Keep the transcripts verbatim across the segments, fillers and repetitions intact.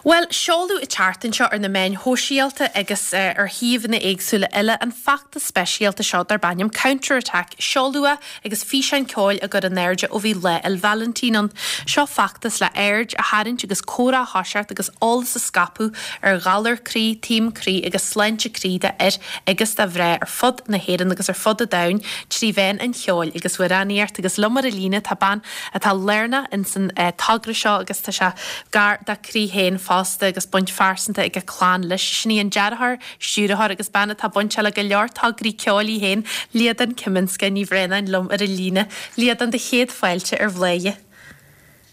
Bhuel, seoladh an tseachtain seo ar na meáin shóisialta agus ar shuíomhanna éagsúla eile an feachtas speisialta seo darb ainm Counter Attack. Seoladh é agus físeán ceoil á gcur in airde ó bhí Lá 'le Vailintín ann. Seo feachtas le aird a tharraingt agus comhrá a thoiseacht agus eolas a scaipeadh ar ghalar croí, taom croí agus sláinte croí d'fhir agus do mhná ar fud na hÉireann agus ar fud an domhain trí mheán an cheoil agus amhránaíocht agus liom ar an líne tá bean atá lárnach ins an togra seo agus tá sé gar dá croí féin fosta agus baint phearsanta ag a clann leis. Sin í an dearthóir, stiúrthóir agus bean atá bainteach le go leor tograí ceoil í féin, Liadan Kiminska Ní Bhraonáin liom ar an líne. Liadan do chéad fáilte ar Bhladhaire.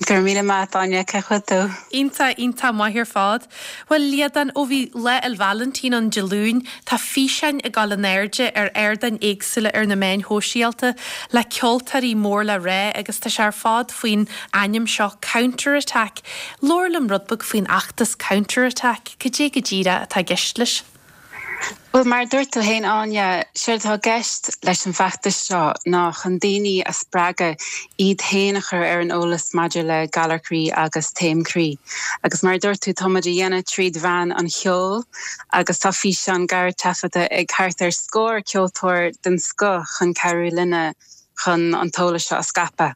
Go raibh míle maith Áine cén chaoi a bhfuil tú. Iontach iontach maith ar fad. Bhuel Liadan ó bhí Lá 'le Vailintín ann Dé Luain, tá físeáin ag dul in airde ar ardáin éagsúla ar na meáin shóisialta le ceoltóirí mór le rá agus tá sé ar fad faoin ainm seo Counter Attack. Labhair liom rud beag faoin fheachtas Counter Attack, cad é go díreach atá i gceist leis. Well mar dúirt tú féin Áine séard atá i gceist leis an bhfeachtas seo ná chun daoine a spreagadh iad féin a chur ar an eolas maidir le galar croí agus taom croí. Agus mar dúirt tú táimid á dhéanamh tríd mheán an cheoil agus tá físeán gearr taifeadta ag thart ar scór ceoltóir den scoth chun cabhrú linne chun an t-eolas seo a scaipeadh.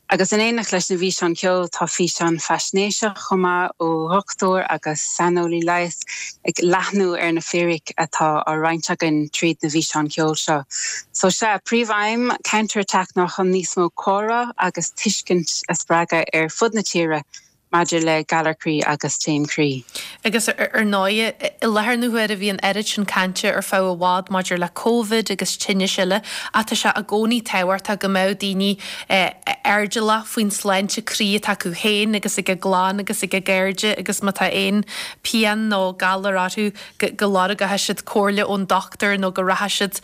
Agus in éineacht leis na bhfíseán ceoil tá físeán faisnéiseach chomh maith ó dhochtúir agus saineolaí leighis ag leathnú ar na fíricí atá á roinnt againn tríd na bhfíseán ceoil seo. So sé príomhaidhm Counter Attack ná chun níos mó comhrá agus tuiscint a spreagadh ar fud na tíre maidir le galar croí agus taom croí. Agus ar ndóigh i láthair na huaire bhí an oiread sin cainte ar feadh i bhfad maidir le COVID agus tinnis eile ach tá sé i gcónaí tábhachtach go mbeadh daoine airdeallach faoin sláinte croí atá acu féin agus ag a gclann agus ag a gcairde agus má tá aon pian nó galar orthu go lorgóidh siad comhairle ón dochtúir nó go rachaidh siad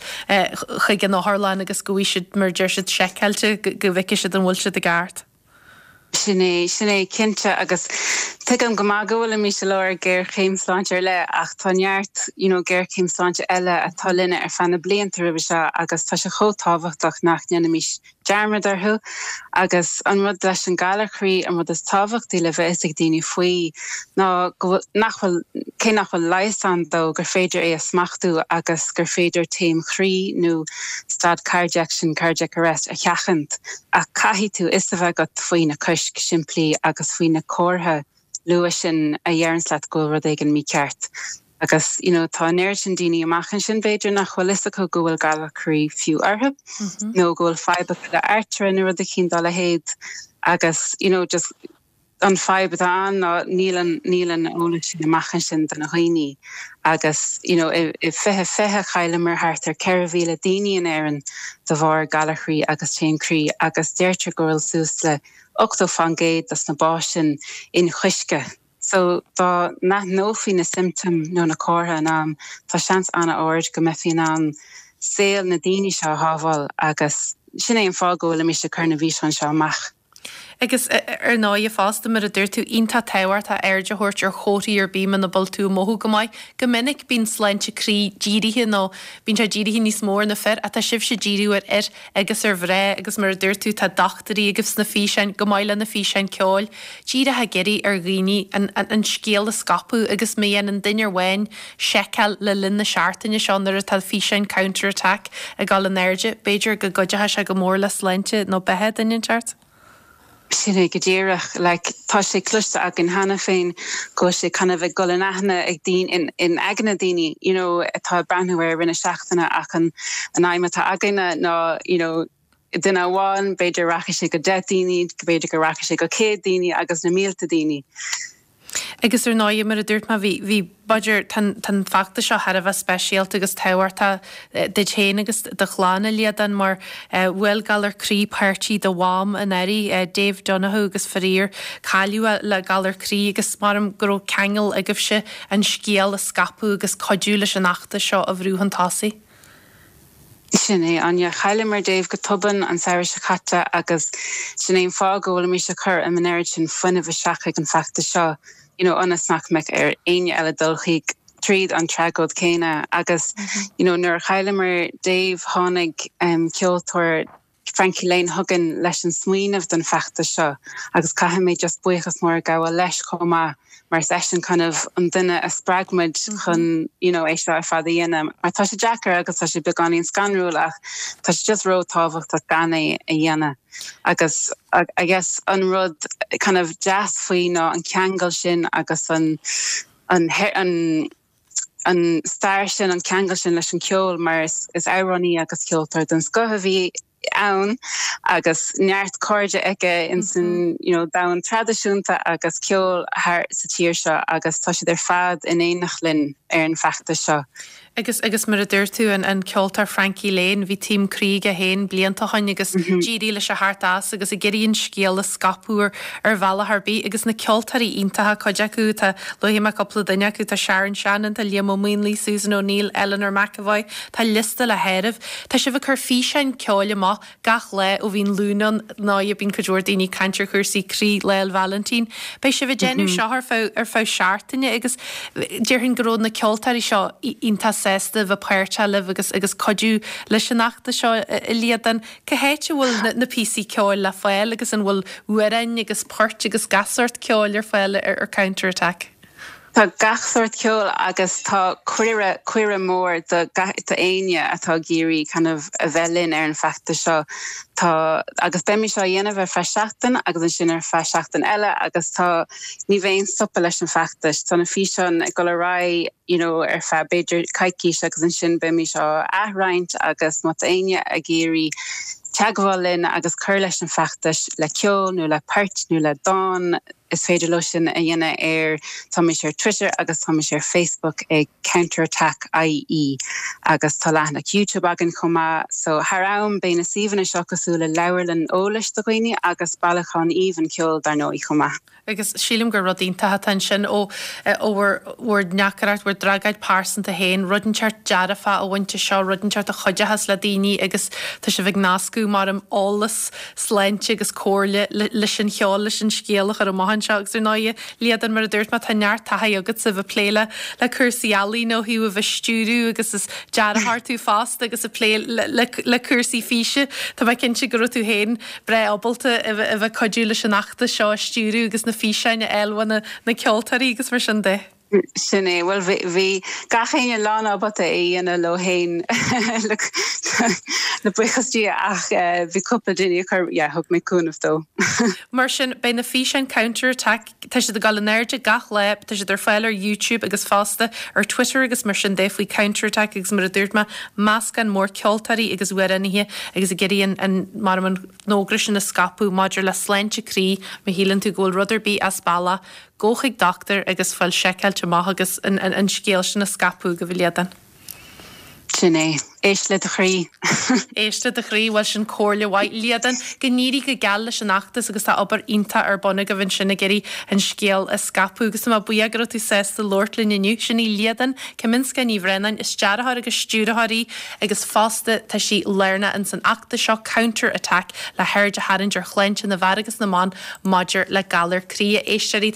chuig an otharlann agus go bhfaighidh siad mar deir siad seiceáilte go bhfeicfidh siad an bhfuil siad i gceart. Sin é sin é cinnte agus tuigim go maith go bhfuilimid i lár géarchéim sláinte ar leith ach tá neart you know, géarchéim sláinte eile atá linne ar feadh na blianta roimhe seo agus tá sé chomh tábhachtach nach ndéanfaimis dearmad orthu agus an rud leis an galar croí an rud is tábhachtaí le bheith ag daoine faoi ná nach bhfuil cé nach bhfuil leigheas ann dó gur féidir é a smachtú agus gur féidir taom croí nó stad cardiac sin cardiac arrest a sheachaint ach caithfidh tú fhios a bheith agat faoi na coisc simplí agus faoi na comharthaí luath sin a deireann leat go bhfuil rud éigin mícheart. Agus you know, tá an oiread sin daoine amach ansin b'fhéidir nach bhfuil fhios acu go bhfuil galar croí fiú orthu mm -hmm. nó go bhfuil fadhb le artaire nó rud éicint dá leithéid agus you know, just an fadhb atá ann ná níl an níl an eolas sin amach ansin do na daoine agus you know, i, i fiche fiche chailleamar thart ar ceithre mhíle daoine in Éirinn de bharr galar croí agus taom croí agus deirtear go bhfuil suas le ochtó faoin gcéad dos na básanna sin inchoiscthe. So dá n-aithneofaí na symptoms nó na comharthaí in am tá seans an-ard go mbeifí in ann saol na daoine seo a shábháil agus sin é an fáth go bhfuilimid ag cur na bhfíseán seo amach. Agus ar ndóigh fosta mar a dúirt tú iontach tábhachtach aird a thabhairt ar chomharthaí ar bith muna bhfuil tú ag mothú go maith. Go minic bíonn sláinte croí dírithe nó bíonn sé dírithe níos mó ar na fir ach tá sibhse ag díriú ar fhir agus ar mhná agus mar a dúirt tú tá dochtúirí agaibh sna físeáin go maith le na físeáin ceoil. Díreach ag iarraidh ar dhaoine an, an, an scéal a scaipeadh agus má dhéanann duine amháin seiceáil le linn na seachtaine seo nuair atá físeáin Counter Attack ag dul in airde, b'fhéidir go gcuideoidh sé go mór le sláinte nó beatha duine inteacht. Sin é go díreach like, tá sé cloiste againn cheana féin go sé kind of ag dul in aithne ag daoine in, in aigne daoine you know, atá breathnú ar rinne seachtaine ach an an aidhm atá againne ná you know, duine amháin b'fhéidir rachaidh sé go deich daoine, b'fhéidir go rachaidh sé go céad daoine agus na mílte daoine. Agus ar ndóigh mar a dúirt mé bhí bhí b'fhéidir tá feachtas seo thar a bheith speisialta agus tábhachtach duit féin agus do chlann a Liadan mar bhuail galar croí páirtí do mham anuraidh Dave Donoghue agus faraor cailleadh le galar croí agus mar go raibh ceangal agaibhse an scéal a scaipeadh agus cuidiú leis an fheachtas seo a bhrú chun tosaigh. Sin é Áine chailleamar Dave go tobann an samhradh seo caite agus sin é an fáth go bhfuilimid ag cur an oiread sin fuinnimh isteach ag an feachtas seo. You know, ionas nach mbeadh ar éinne eile dul chuig tríd an tragóid céanna agus mm -hmm. you know, nuair chailleamar Dave tháinig um, ceoltóir Frankie Lane chugainn leis an smaoineamh don feachtas seo agus caithfidh mé just buíochas mór gabháil leis chomh maith mar is eisean kind of an duine a spreag muid chun you know é seo ar fad a dhéanamh mar tá sé deacair agus tá sé beagáinín scanrúil ach tá sé just ró-thábhachtach gan é a dhéanamh agus I guess an rud kind of deas faoi ná an ceangal sin agus an an an an stair sin an ceangal sin leis an ceol mar is, is amhránaí agus ceoltóir den scoth a bhí ann agus neart cairde aige in san mm -hmm. you know, domhan traidisiúnta agus ceol thar sa tír seo agus tá siad ar fad in éineacht linn ar an feachtas seo. Agus agus mar a dúirt tú an an ceoltóir Frankie Lane bhí taom croí aige féin blianta ó shin agus mm -hmm. d'éirigh leis a theacht as agus ag iarraidh an scéal a scaipeadh ar bhealach ar bith agus na ceoltóirí iontacha cuid acu tá luaigh mé cúpla duine acu tá Sharon Shannon tá Liam Ó Maonlaí Susan O'Neill Eleanor McEvoy tá liosta le háireamh Tá sibh ag cur físeáin ceoil amach gach lá ó bhíonn Luan ann ná bíonn cuid mhór daoine ag caint ar chúrsaí croí Lá 'le Vailintín. Beidh sibh ag déanamh mm -hmm. seo ar feadh ar feadh seachtaine agus déarfainn go raibh na ceoltóirí seo iontach sásta bheith páirteach libh agus agus cuidiú leis an fheachtas seo a Líadan. Cá háit a bhfuil na, na píosaí ceoil le fáil agus an bhfuil amhráin agus poirt agus gach sórt ceoil ar fáil ar, ar Counter Attack. Tá gach sórt ceol agus tá cuireadh cuireadh mór do éinne atá ag iarraidh kind of a bheith linn ar an feachtas seo tá agus beimid á dhéanamh ar feadh seachtain agus ansin ar feadh seachtain eile agus tá ní bheidh aon stopadh leis an feachtas tá na físeáin ag dul ar aghaidh you know ar feadh b'fhéidir coicís agus ansin beimid á athroinnt agus má tá éinne ag iarraidh teagmháil linn agus cur leis an feachtas le ceol nó le port nó le dán is féidir leo sin a dhéanamh ar táimid ar Twitter agus táimid ar Facebook ag Counterattack IE agus tá leathanach YouTube againn chomh maith so thar am beidh na suíomhanna seo cosúil le leabharlann eolais do dhaoine agus bailiúchán aoibhinn ceoil dar ndóigh chomh maith. Agus sílim gur rud iontach atá ansin ó ó bhur ndeacracht bhur dtragóid pearsanta féin, rud inteacht dearfa a bhaint seo rud inteacht a chuideochas le daoine agus tá sibh ag nascadh mar am eolas sláinte agus comhairle leis an cheol leis an scéal a chur amach anseo agus ar ndóigh Líadan mar a dúirt má tá neart taithí agat sa bheith plé le le cúrsaí ealaíon ó thaobh a bheith stiúradh agus is dearthóir tú fosta agus ag plé le, le, le cúrsaí físe Tá mé cinnte go raibh tú féin breá ábalta a bheith cuidiú leis an fheachtas seo a stiúradh agus na físeáin a fháil na na ceoltóirí agus mar sin de. Sin é well bhí gach éinne lánábalta é a dhéanamh leo féin le buíochas Dé ach eh, bhí cúpla duine chur thug mé cúnamh dó. Mar sin beidh na físeáin Counter Attack tá siad ag dul in airde gach lá tá siad ar fáil ar YouTube agus fosta ar Twitter agus mar sin de faoi Counter Attack agus mar a dúirt mé meascán mór ceoltóirí agus amhránaithe agus ag iarraidh an mar an fhógra sin a scaipeadh maidir le sláinte croí má shíleann tú go bhfuil rud ar bith as bealach gabh chuig dochtúir agus fáil seiceáilte amach agus an, an, an scéal sin a scaipeadh go bhliadan. Sin é éist le do chroí. Éist le do chroí bhuel sin comhairle mhaith Líadan go n-éirí go geal leis an fheachtas agus tá obair iontach ar bun agaibh ansin ag iarraidh an scéal a scaipeadh agus má buíoch go raibh tú sásta labhairt linn inniu sin í Líadan Kaminska Ní Bhraonáin is dearthóir agus stiúrthóir í agus fosta tá sí lárnach in san fheachtas seo Counter Attack le haird a tharraingt ar shláinte na bhfear agus na mban maidir le galar croí éisteoirí